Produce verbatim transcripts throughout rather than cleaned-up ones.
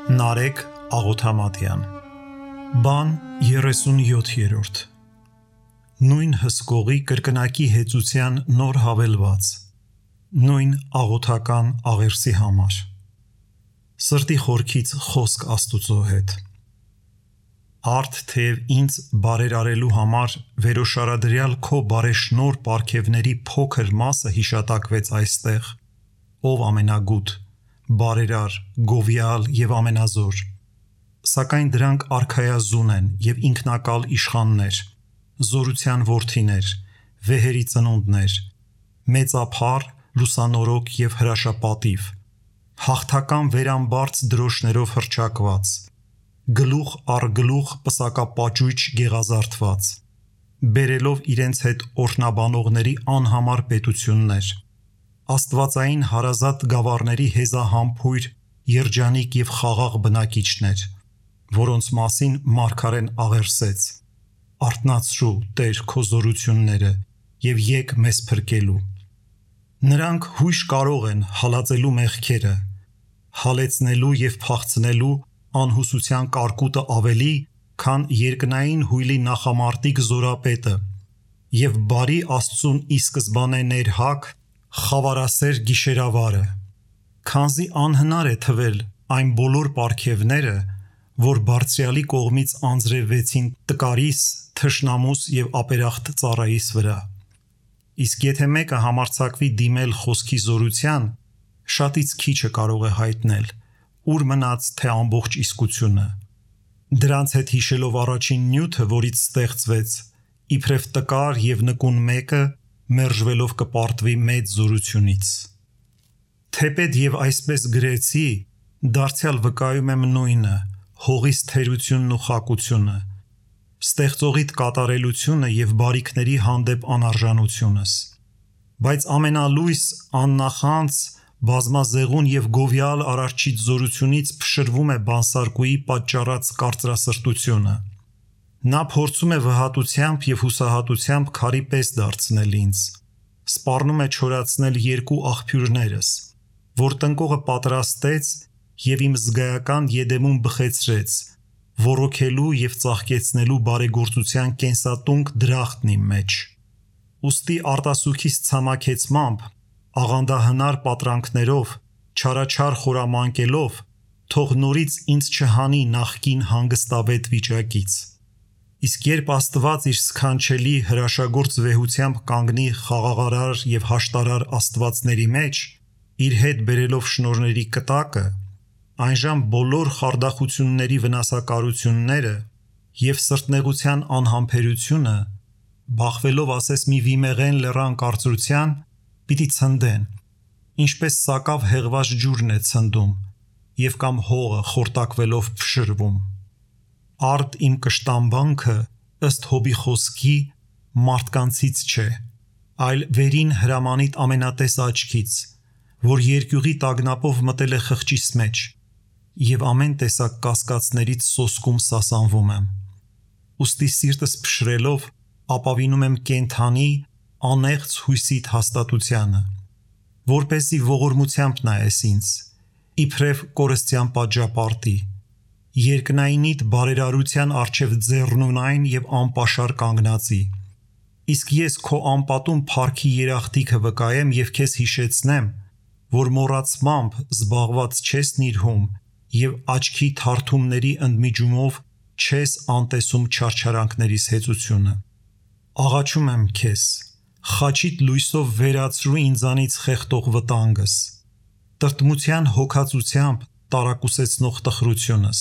Նարեկ Աղոթամատյան Բան երեսունյոթերորդ Նույն հսկողի կրկնակի հեծության նոր հավելված Նույն աղոթական աղերսի համար Սրտի խորքից խոսք Աստուծո հետ Արդ թեև ինձ բարերարելու համար վերոշարադրյալ քո բարեշնոր պարգևների փոքր մասը հիշատակվեց այստեղ Ով ամենագութ բարերար, գովյալ և ամենազոր, սակայն դրանք արքայազուն են և ինքնակալ իշխաններ, զորության որդիներ, վեհերի ծնունդներ, մեծափառ, լուսանորոգ և հրաշապատիվ, հաղթական վերամբարձ դրոշներով հռչակված, գլուխ առ գլուխ պսակապաճույճ գեղազարդված, բերելով իրենց հետ օրհնաբանողների անհամար պետություններ, աստվածային հարազատ գավառների հեզահամբույր, երջանիկ և խաղաղ բնակիչներ, որոնց մասին մարգարեն աղերսեց. Արթնացրու, Տեր, քո զորությունները և եկ մեզ փրկելու։ Նրանք հույժ կարող են հալածելու մեղքերը, հալեցնելու և փախցնելու անհուսության կարկուտը ավելի, քան երկնային հույլի նախամարտիկ զորապետը և բարի Աստծուն ի սկզբանե ներհակ, խավարասեր գիշերավարը, քանզի անհնար է թվել այն բոլոր պարգևները, որ Բարձրյալի կողմից անձրևվեցին տկարիս, թշնամուս և ապերախտ ծառայիս վրա։ Իսկ եթե մեկը համարձակվի դիմել խոսքի զորության, շատից քիչը կարող է հայտնել, ուր մնաց թե ամբողջ իսկությունը։ Դրանց հետ հիշելով առաջին նյութը, որից ստեղծվեց, իբրև տկար և նկուն մեկը մերժվելով կպարտվի մեծ զորությունից։ Թեպետ և այսպես գրեցի, դարձյալ վկայում եմ նույնը, հողիս թերությունն ու խակությունը, ստեղծողիդ կատարելությունը և բարիքների հանդեպ անարժանությունս։ Բայց ամենալույս, աննախանձ, բազմազեղուն և գովյալ Արարչից զորությունից փշրվում է բանսարկուի պատճառած կարծրասրտությունը։ Նա փորձում է վհատությամբ և հուսահատությամբ քարի պես դարձնել ինձ, սպառնում է չորացնել երկու աղբյուրներս, որ տնկողը պատրաստեց և իմ զգայական եդեմում բխեցրեց, ոռոգելու և ծաղկեցնելու բարեգործության կենսատունկ դրախտն իմ մեջ։ Ուստի արտասուքիս ցամաքեցմամբ, աղանդահնար պատրանքներով, չարաչար խորամանկելով, թող նորից ինձ չհանի նախկին հանգստավետ վիճակից։ Իսկ երբ Աստված իր սքանչելի հրաշագործ վեհությամբ կանգնի խաղաղարար և հաշտարար աստվածների մեջ, իր հետ բերելով շնորհների կտակը, այնժամ բոլոր խարդախությունների վնասակարությունները և սրտնեղության անհամբերությունը, բախվելով ասես մի վիմեղեն լեռան կարծրության, պիտի ցնդեն, ինչպես սակավ հեղված ջուրն է ցնդում և կամ հողը խորտակվելով փշրվում։ Արդ իմ կշտամբանքը, ըստ Հոբի խոսքի, մարդկանցից չէ, այլ վերին հրամանիդ ամենատես աչքից, որ երկյուղի տագնապով մտել է խղճիս մեջ, և ամեն տեսակ կասկածներից սոսկում սասանվում եմ։ Ուստի սիրտս փշրելով ապավինում եմ կենդանի, անեղծ հույսիդ հաստատությանը, որպեսզի ողորմությամբ նայես ինձ, իբրև կորստյան պատժապարտի, երկնայինիդ բարերարության առջև ձեռնունայն և անպաշար կանգնածի։ Իսկ ես քո անպատում փառքի երախտիքը վկայեմ և քեզ հիշեցնեմ, որ մոռացմամբ զբաղված չես նիրհում և աչքի թարթումների ընդմիջումով չես անտեսում չարչարանքներիս հեծությունը։ Աղաչում եմ քեզ, խաչիդ լույսով վերացրու ինձանից խեղդող վտանգս, տրտմության հոգածությամբ տարակուսեցնող տխրությունս,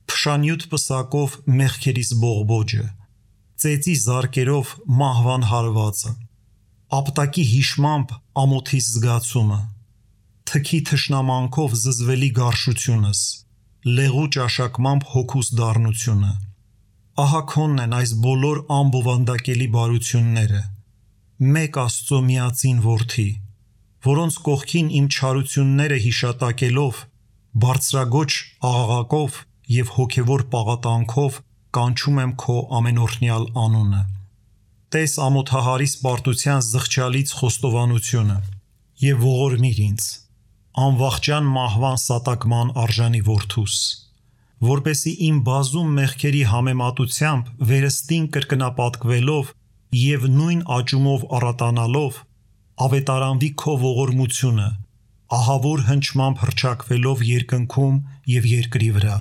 փշանյութ պսակով մեղքերիս բողբոջը, ծեծի զարկերով մահվան հարվածը, ապտակի հիշմամբ ամոթիս զգացումը, թքի թշնամանքով զզվելի գարշությունս, լեղու ճաշակմամբ հոգուս դառնությունը։ Ահա քոնն են այս բոլոր անբովանդակելի բարությունները, մեկ Աստծո միածին Որդի, որոնց կողքին իմ չարությունները հիշատակելով, բարձրագոչ աղաղակով և հոգևոր պաղատանքով կանչում եմ քո ամենօրհնյալ անունը։ Տես ամոթահարիս պարտության զղջալից խոստովանությունը և ողորմիր ինձ, անվախճան մահվան սատակման արժանի որդուս, որպեսի իմ բազում մեղքերի համեմատությամբ վերստին կրկնապատկվելով և նույն աճումով առատանալով ավետարանվի քո ողորմությունը, ահավոր հնչմամբ հռչակվելով երկնքում և երկրի վրա,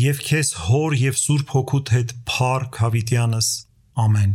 և քեզ Հոր և Սուրբ Հոգուդ հետ փառք հավիտյանս, ամեն։